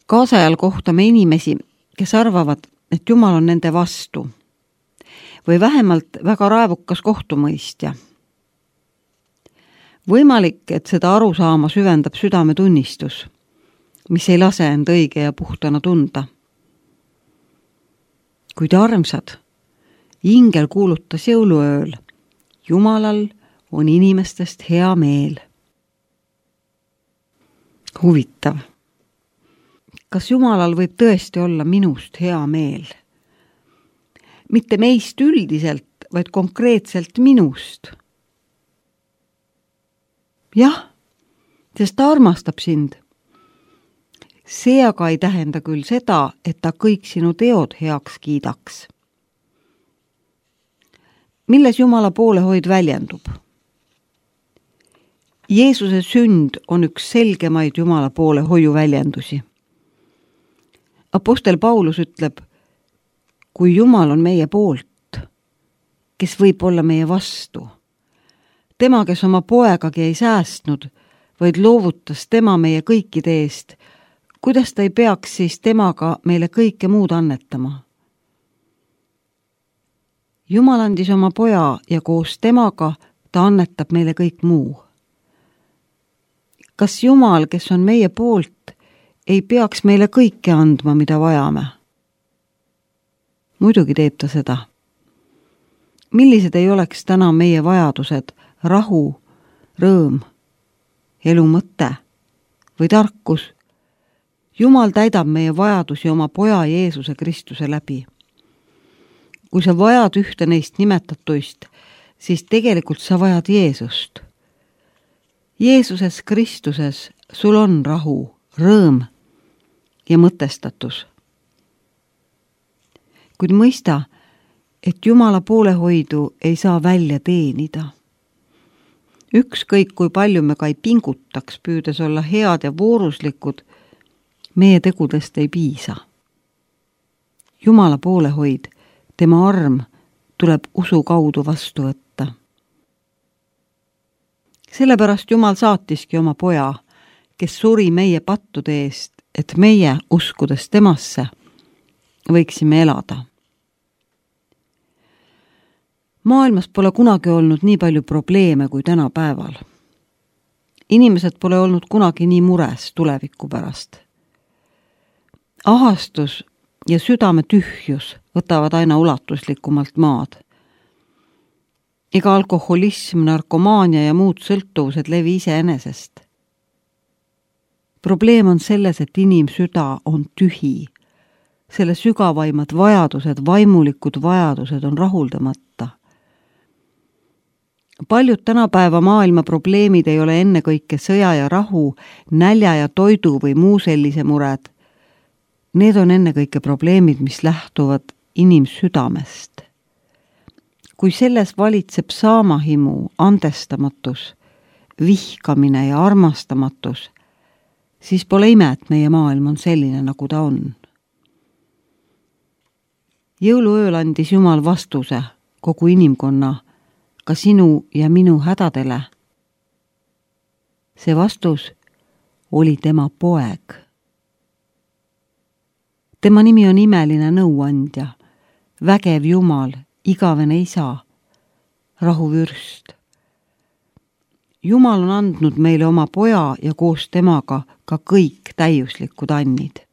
Kaasajal kohtame inimesi, kes arvavad, et Jumal on nende vastu või vähemalt väga raevukas kohtumõistja. Võimalik, et seda arusaama süvendab südametunnistus, mis ei lase end õige ja puhtana tunda. Kuid armsad, ingel kuulutas jõuluööl, Jumalal on inimestest hea meel. Huvitav. Kas Jumalal võib tõesti olla minust hea meel? Mitte meist üldiselt, vaid konkreetselt minust. Jah, sest ta armastab sind. See aga ei tähenda küll seda, et ta kõik sinu teod heaks kiidaks. Milles Jumala poolehoid väljendub? Jeesuse sünd on üks selgemaid Jumala poolehoiu väljendusi. Apostel Paulus ütleb, kui Jumal on meie poolt, kes võib olla meie vastu. Tema, kes oma poegagi ei säästnud, vaid loovutas tema meie kõikide eest, kuidas ta ei peaks siis temaga meile kõike muud annetama? Jumal andis oma poja ja koos temaga ta annetab meile kõik muu. Kas Jumal, kes on meie poolt, ei peaks meile kõike andma, mida vajame? Muidugi teeb ta seda. Millised ei oleks täna meie vajadused, rahu, rõõm, elu mõte või tarkus? Jumal täidab meie vajadusi oma poja Jeesuse Kristuse läbi. Kui sa vajad ühte neist nimetatuist, siis tegelikult sa vajad Jeesust. Jeesuses Kristuses sul on rahu, rõõm ja mõtestatus. Kuid mõista, et Jumala poolehoidu ei saa välja teenida. Ükskõik kui palju me ka ei pingutaks, püüdes olla head ja vooruslikud, meie tegudest ei piisa. Jumala poolehoid, tema arm tuleb usu kaudu vastu võtta. Sellepärast Jumal saatiski oma poja, kes suri meie pattude eest, et meie, uskudes temasse, võiksime elada. Maailmas pole kunagi olnud nii palju probleeme kui tänapäeval. Inimesed pole olnud kunagi nii mures tuleviku pärast. Ahastus ja südame tühjus võtavad aina ulatuslikumalt maad. Ega alkoholism, narkomaania ja muud sõltuvused levi iseenesest. Probleem on selles, et inimsüda on tühi. Selle sügavaimad vajadused, vaimulikud vajadused on rahuldamata. Paljud tänapäeva maailma probleemid ei ole ennekõike sõja ja rahu, nälja ja toidu või muu sellise mured. Need on ennekõike probleemid, mis lähtuvad inimsüdamest. Kui selles valitseb saamahimu, andestamatus, vihkamine ja armastamatus, siis pole ime, et meie maailm on selline, nagu ta on. Jõuluööl andis Jumal vastuse kogu inimkonna, ka sinu ja minu hädadele. See vastus oli tema poeg. Tema nimi on imeline nõuandja, vägev Jumal, igavene isa, rahuvürst. Jumal on andnud meile oma poja ja koos temaga ka kõik täiuslikud annid.